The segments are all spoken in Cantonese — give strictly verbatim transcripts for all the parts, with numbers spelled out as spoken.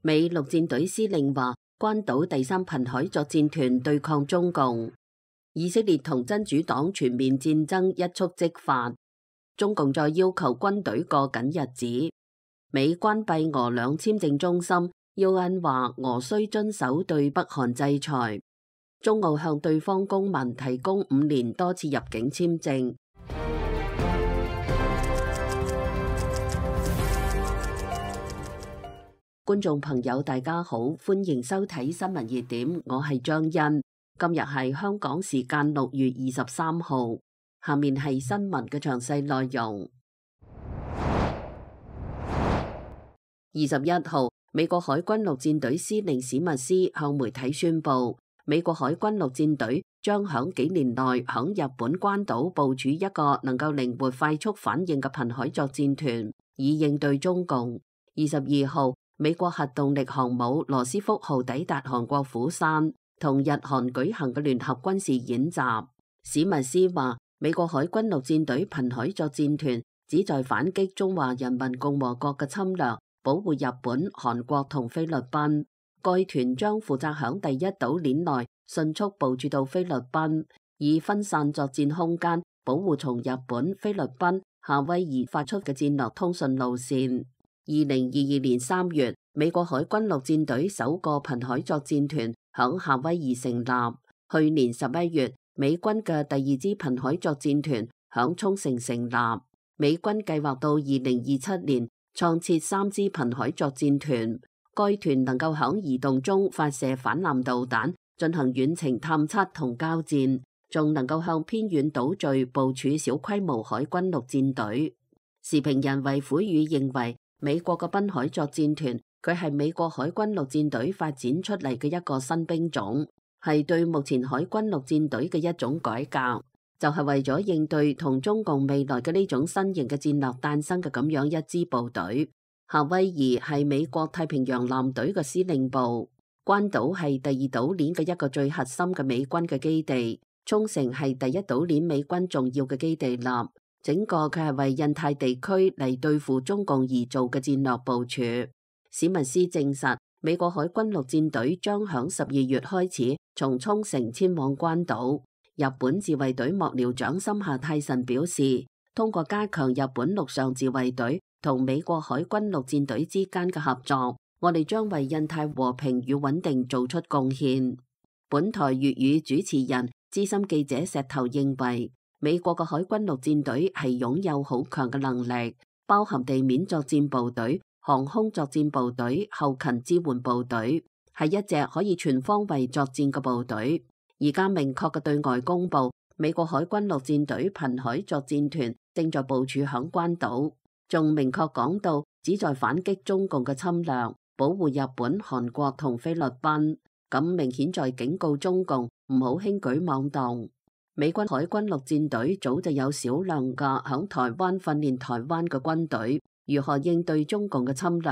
美陸戰隊司令話，關島第三瀕海作戰團對抗中共。以色列同真主黨全面戰爭一觸即發，中共再要求軍隊過緊日子。美關閉俄兩簽證中心，要因話俄需遵守對北韓制裁。中澳向對方公民提供五年多次入境簽證。觀眾朋友大家好，歡迎收睇新聞熱點，我係張欣。今日係香港時間六月二十三號，下面係新聞嘅詳細內容。二十一號，美國海軍陸戰隊司令史密斯向媒體宣布，美國海軍陸戰隊將響幾年內響日本關島部署一個能夠靈活快速反應嘅瀕海作戰團，以應對中共。二十二號，美國核動力航母羅斯福號抵達韓國釜山，同日韓舉行嘅聯合軍事演習。史密斯話，美國海軍陸戰隊瀕海作戰團旨在反擊中華人民共和國嘅侵略，保護日本、韓國同菲律賓。該團將負責響第一島鏈內迅速部署到菲律賓，以分散作戰空間，保護從日本、菲律賓、夏威夷發出嘅戰略通訊路線。二零二二年三月，美國海軍陸戰隊首個瀕海作戰團響夏威夷成立。去年十一月，美軍嘅第二支瀕海作戰團響沖繩成立。美軍計劃到二零二七年創設三支瀕海作戰團，該團能夠響移動中發射反艦導彈，進行遠程探測同交戰，仲能夠向偏遠島嶼部署小規模海軍陸戰隊。時評人衛虎宇認為，美國嘅濱海作戰團，佢係美國海軍陸戰隊發展出嚟嘅一個新兵種，係對目前海軍陸戰隊嘅一種改革，就係為咗應對同中共未來嘅呢種新型嘅戰略誕生嘅咁樣一支部隊。夏威夷係美國太平洋艦隊嘅司令部，關島係第二島鏈嘅一個最核心嘅美軍嘅基地，沖繩係第一島鏈美軍重要嘅基地立。整個佢係為印太地區嚟對付中共而做嘅戰略部署。史密斯證實，美國海軍陸戰隊將響十二月開始從沖繩遷往關島。日本自衛隊幕僚長森下泰臣表示，通過加強日本陸上自衛隊同美國海軍陸戰隊之間嘅合作，我哋將為印太和平與穩定做出貢獻。本台粵語主持人資深記者石頭認為，美國嘅海軍陸戰隊係擁有好強嘅能力，包含地面作戰部隊、航空作戰部隊、後勤支援部隊，係一隻可以全方位作戰嘅部隊。而家明確嘅對外公布，美國海軍陸戰隊瀕海作戰團正在部署響關島，仲明確講到旨在反擊中共嘅侵略，保護日本、韓國同菲律賓。咁明顯在警告中共唔好輕舉妄動。美軍海軍陸戰隊早就有少量嘅響台灣訓練台灣嘅軍隊，如何應對中共嘅侵略？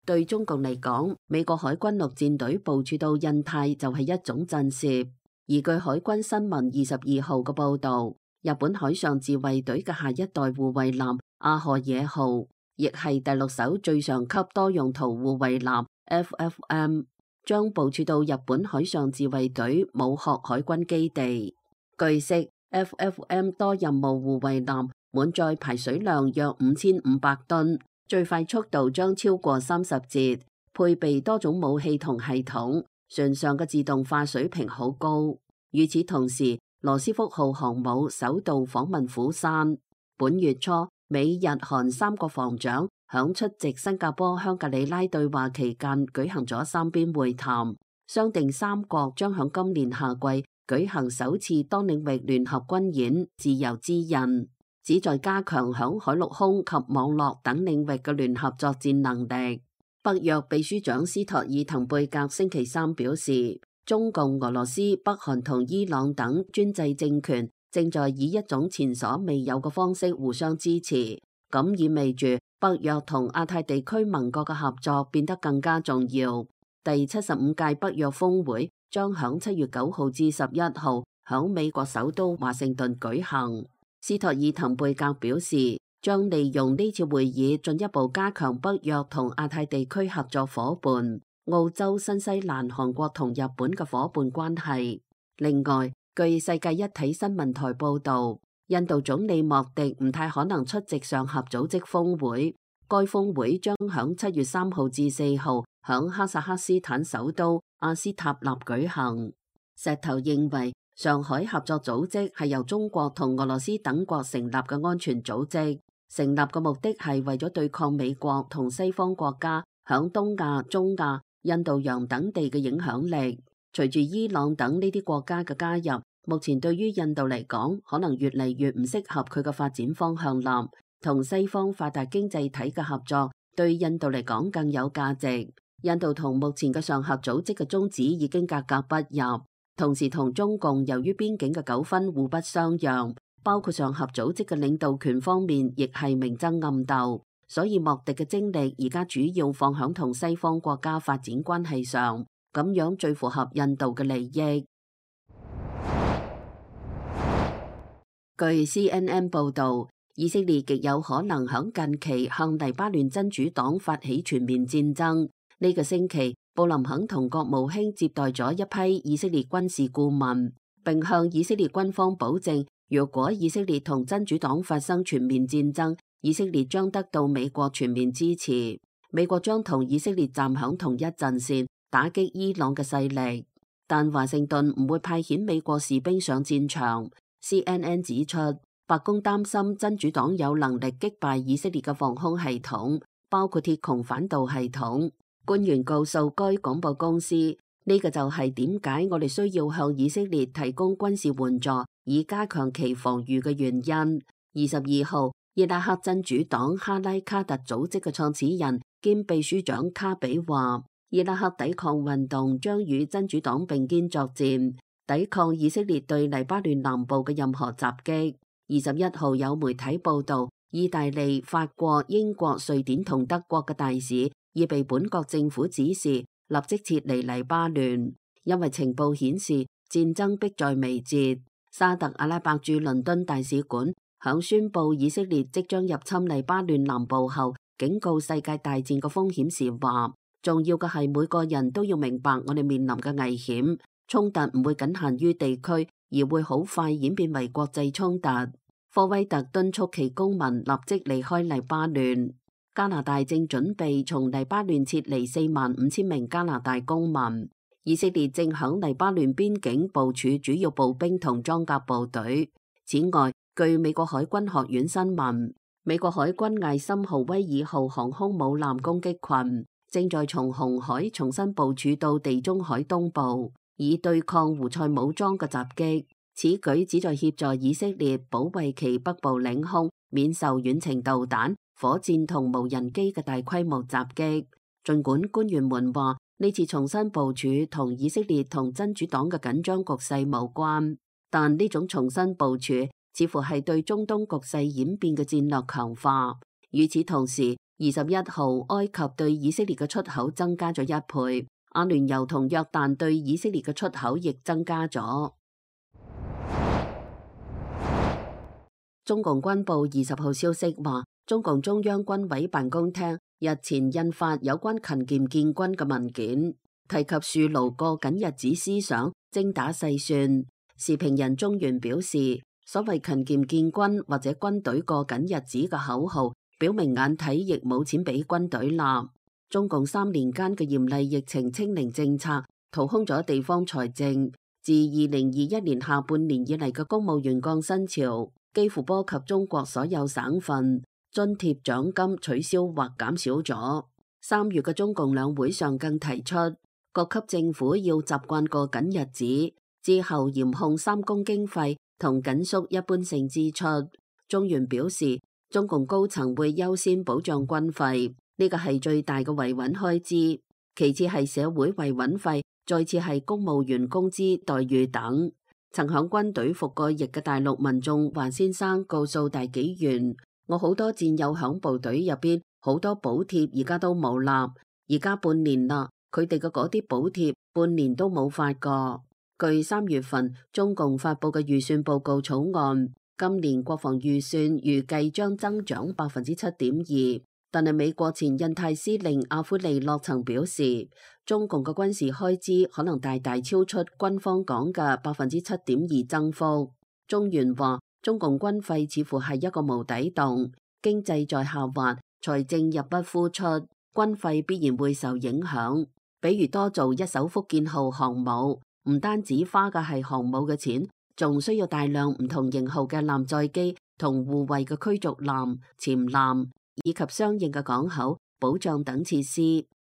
對中共嚟講，美國海軍陸戰隊部署到印太就係一種震懾。而據海軍新聞二十二號嘅報道，日本海上自衛隊嘅下一代護衛艦阿賀野號，亦係第六艘最上級多用途護衛艦 F F M， 將部署到日本海上自衛隊武學海軍基地。據悉 ，F F M 多任務護衛艦滿載排水量約五千五百噸，最快速度將超過三十節，配備多種武器同系統，船上嘅自動化水平好高。與此同時，羅斯福號航母首度訪問釜山。本月初，美日韓三國防長響出席新加坡香格里拉對話期間舉行咗三邊會談，商定三國將響今年夏季舉行首次多領域聯合軍演自由之刃，旨在加強響海陸空及網絡等領域嘅聯合作戰能力。北約秘書長斯托爾滕貝格星期三表示，中共、俄羅斯、北韓同伊朗等專制政權正在以一種前所未有嘅方式互相支持，咁意味住北約同亞太地區盟國嘅合作變得更加重要。第七十五屆北約峰會將響七月九號至十一號響美國首都華盛頓舉行。斯托爾滕貝格表示，將利用呢次會議進一步加強北約同亞太地區合作夥伴，澳洲、新西蘭、韓國同日本嘅夥伴關係。另外，據世界一體新聞台報導，印度總理莫迪唔太可能出席上合組織峰會。該峰會將響七月三號至四號響哈薩克斯坦首都阿斯塔納舉行。石頭認為，上海合作組織係由中國同俄羅斯等國成立嘅安全組織，成立嘅目的係為咗對抗美國同西方國家響東亞、中亞、印度洋等地嘅影響力。隨住伊朗等呢啲國家嘅加入，目前對於印度嚟講，可能越嚟越唔適合佢嘅發展方向啦。同西方發達經濟體嘅合作對印度嚟講更有價值。印度同目前嘅上合組織嘅宗旨已經格格不入，同時同中共由於邊境嘅糾紛互不相讓，包括上合組織嘅領導權方面亦係明爭暗鬥，所以莫迪嘅精力而家主要放響同西方國家發展關係上，咁樣最符合印度嘅利益。據 C N N 報導，以色列極有可能響近期向黎巴嫩真主黨發起全面戰爭。呢個星期，布林肯同國務卿接待咗一批以色列軍事顧問，並向以色列軍方保證，如果以色列同真主黨發生全面戰爭，以色列將得到美國全面支持，美國將同以色列站響同一陣線，打擊伊朗嘅勢力。但華盛頓唔會派遣美國士兵上戰場。C N N 指出，白宮擔心真主黨有能力擊敗以色列嘅防空系統，包括鐵穹反導系統。官員告訴該廣播公司，呢個就係點解我哋需要向以色列提供軍事援助，以加強其防禦嘅原因。二十二號，伊拉克真主黨哈拉卡特組織嘅創始人兼秘書長卡比話，伊拉克抵抗運動將與真主黨並肩作戰，抵抗以色列對黎巴嫩南部嘅任何襲擊。二十一號有媒體報道，意大利、法國、英國、瑞典同德國嘅大使已被本國政府指示立即撤離黎巴嫩，因為情報顯示戰爭迫在眉睫。沙特阿拉伯駐倫敦大使館響宣布以色列即將入侵黎巴嫩南部後，警告世界大戰嘅風險時話，重要嘅係每個人都要明白我哋面臨嘅危險，衝突唔會僅限於地區，而會好快演變為國際衝突。科威特敦促其公民立即離開黎巴嫩。加拿大正準備從黎巴嫩撤離四萬五千名加拿大公民。以色列正響黎巴嫩邊境部署主要步兵同裝甲部隊。此外，據美國海軍學院新聞，美國海軍艾森豪威爾號航空母艦攻擊群正在從紅海重新部署到地中海東部，以對抗胡塞武裝嘅襲擊。此舉旨在協助以色列保衛其北部領空，免受遠程導彈、火箭同無人機嘅大規模襲擊。儘管官員們話呢次重新部署同以色列同真主黨嘅緊張局勢無關，但呢種重新部署似乎係對中東局勢演變嘅戰略強化。與此同時，二十一號埃及對以色列嘅出口增加咗一倍，阿聯酋同約旦對以色列嘅出口亦增加咗。中共軍報二十號消息話，中共中央軍委辦公廳日前印發有關勤儉建軍嘅文件，提及樹牢過緊日子思想，精打細算。時評人中原表示，所謂勤儉建軍或者軍隊過緊日子嘅口號，表明眼睇亦冇錢俾軍隊啦。中共三年間嘅嚴厲疫情清零政策，掏空咗地方財政。自二零二一年下半年以嚟嘅公務員降薪潮，幾乎波及中國所有省份，津貼獎金取消或減少咗。三月嘅中共兩會上更提出，各級政府要習慣過緊日子，之後嚴控三公經費同緊縮一般性支出。中原表示，中共高層會優先保障軍費，呢個係最大嘅維穩開支，其次係社會維穩費，再次係公務員工資待遇等。曾響軍隊服過役嘅大陸民眾華先生告訴大紀元，我好多戰友響部隊入邊，好多補貼而家都冇啦，而家半年啦，佢哋嘅嗰啲補貼半年都冇發過。據三月份中共發佈嘅預算報告草案，今年國防預算預計將增長百分之七點二，但係美國前印太司令阿庫利諾曾表示，中共嘅軍事開支可能大大超出軍方講嘅百分之七點二增幅。中原話，中共軍費似乎係一個無底洞，經濟在下滑，財政入不敷出，軍費必然會受影響。比如多做一艘福建號航母，唔單止花嘅係航母嘅錢，仲需要大量唔同型號嘅艦載機同護衛嘅驅逐艦、潛艦以及相應嘅港口、保障等設施，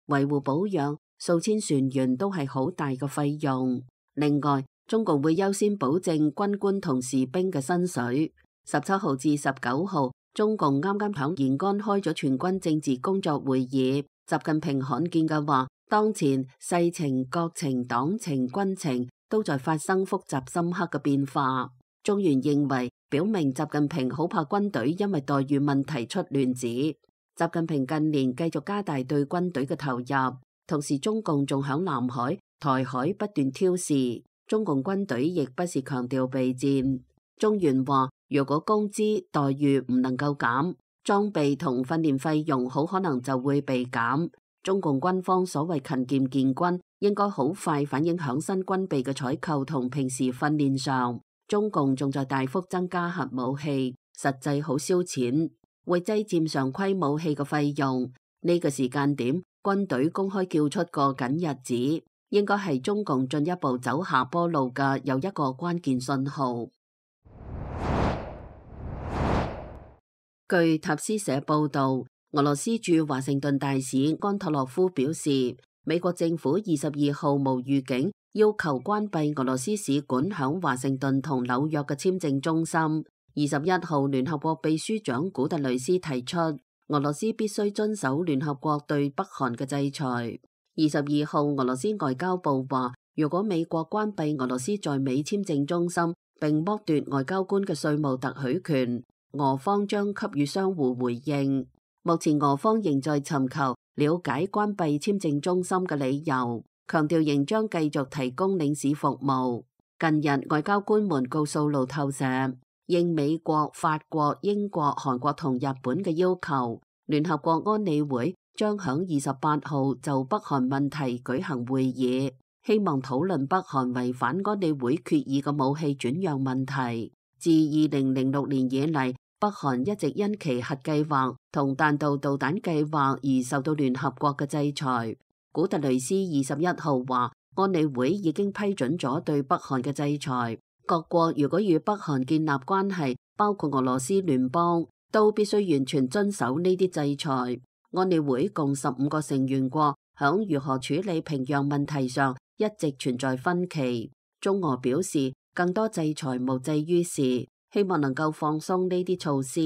維護保養數千船員都係好大嘅費用。另外，中共會優先保證軍官同士兵嘅薪水。十七號至十九號，中共啱啱響延安開咗全軍政治工作會議，習近平罕見嘅話，當前世情、國情、黨情、軍情都在發生複雜深刻嘅變化。中原認為，表明習近平好怕軍隊因為待遇問題出亂子。習近平近年繼續加大對軍隊嘅投入，同時中共仲響南海、台海不斷挑事，中共軍隊亦不是強調備戰。中原話，如果工資待遇唔能夠減，裝備同訓練費用好可能就會被減。中共軍方所謂勤儉建軍，應該好快反映響新軍備嘅採購同平時訓練上。中共仲在大幅增加核武器，實際好燒錢，會擠佔常規武器嘅費用。呢個時間點，軍隊公開叫出個緊日子，應該係中共進一步走下坡路嘅又一個關鍵信號。據塔斯社報道，俄羅斯駐華盛頓大使安托洛夫表示，美國政府二十二號無預警要求關閉俄羅斯使館響華盛頓同紐約嘅簽證中心。二十一號，聯合國秘書長古特雷斯提出，俄羅斯必須遵守聯合國對北韓嘅制裁。二十二號，俄羅斯外交部話，如果美國關閉俄羅斯在美簽證中心，並剝奪外交官嘅稅務特許權，俄方將給予相互回應。目前俄方仍在尋求了解關閉簽證中心嘅理由，強調仍將繼續提供領事服務。近日外交官們告訴路透社，應美國、法國、英國、韓國同日本嘅要求，聯合國安理會將響二十八號就北韓問題舉行會議，希望討論北韓違反安理會決議嘅武器轉讓問題。自二零零六年以嚟，北韓一直因其核計劃同彈道導彈計劃而受到聯合國嘅制裁。古特雷斯二十一號話，安理會已經批准咗對北韓嘅制裁。各國如果與北韓建立關係，包括俄羅斯聯邦，都必須完全遵守呢啲制裁。安理會共十五個成員國，響如何處理平壤問題上一直存在分歧。中俄表示，更多制裁無濟於事，希望能夠放鬆呢啲措施。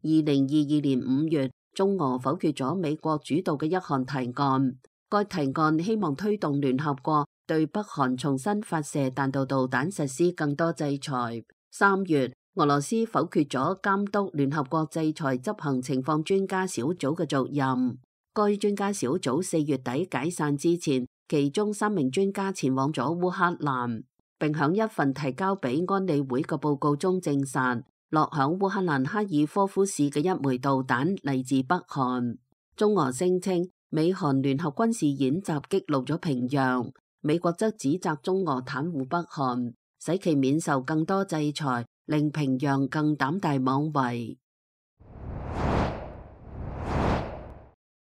二零二二年五月，中俄否決咗美國主導嘅一項提案，該提案希望推動聯合國對北韓重新發射彈道導彈實施更多制裁。三月，俄羅斯否決咗監督聯合國制裁執行情況專家小組嘅續任。該專家小組四月底解散之前，其中三名專家前往咗烏克蘭，並響一份提交俾安理會嘅報告中證實，落響烏克蘭哈爾科夫市嘅一枚導彈嚟自北韓。中俄聲稱美韓聯合軍事演習激怒咗平壤，美國則指責中俄袒護北韓，使其免受更多制裁，令平壤更膽大妄為。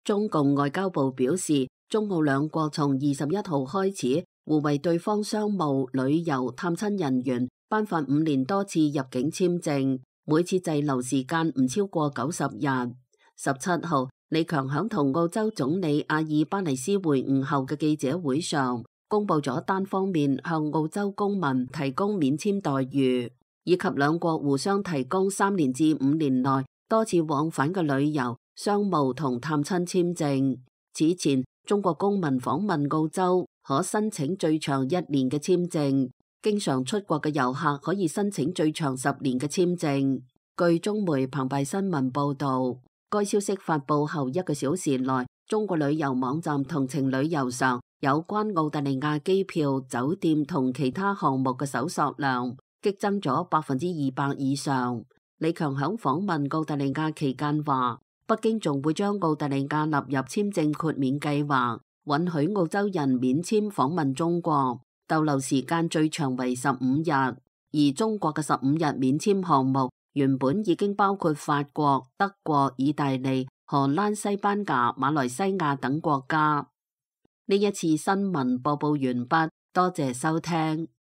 中共外交部表示，中澳兩國從二十一號開始互為對方商務、旅遊、探親人員頒發五年多次入境簽證，每次滯留時間唔超過九十日。十七號，李強響同澳洲總理阿爾巴尼斯會晤後嘅記者會上，公布咗單方面向澳洲公民提供免簽待遇，以及兩國互相提供三年至五年內多次往返嘅旅遊、商務同探親簽證。此前，中國公民訪問澳洲可申請最長一年嘅簽證，經常出國嘅遊客可以申請最長十年嘅簽證。據中媒澎湃新聞報道，該消息發佈後一個小時內，中國旅遊網站同程旅遊上有關澳大利亞機票、酒店同其他項目嘅搜索量激增咗百分之二百以上。李強響訪問澳大利亞期間話，北京仲會將澳大利亞納入簽證豁免計劃，允許澳洲人免簽訪問中國，逗留時間最長為十五日。而中國嘅十五日免簽項目原本已經包括法國、德國、意大利、荷蘭、西班牙、馬來西亞等國家。呢一次新聞播報完畢，多謝收聽。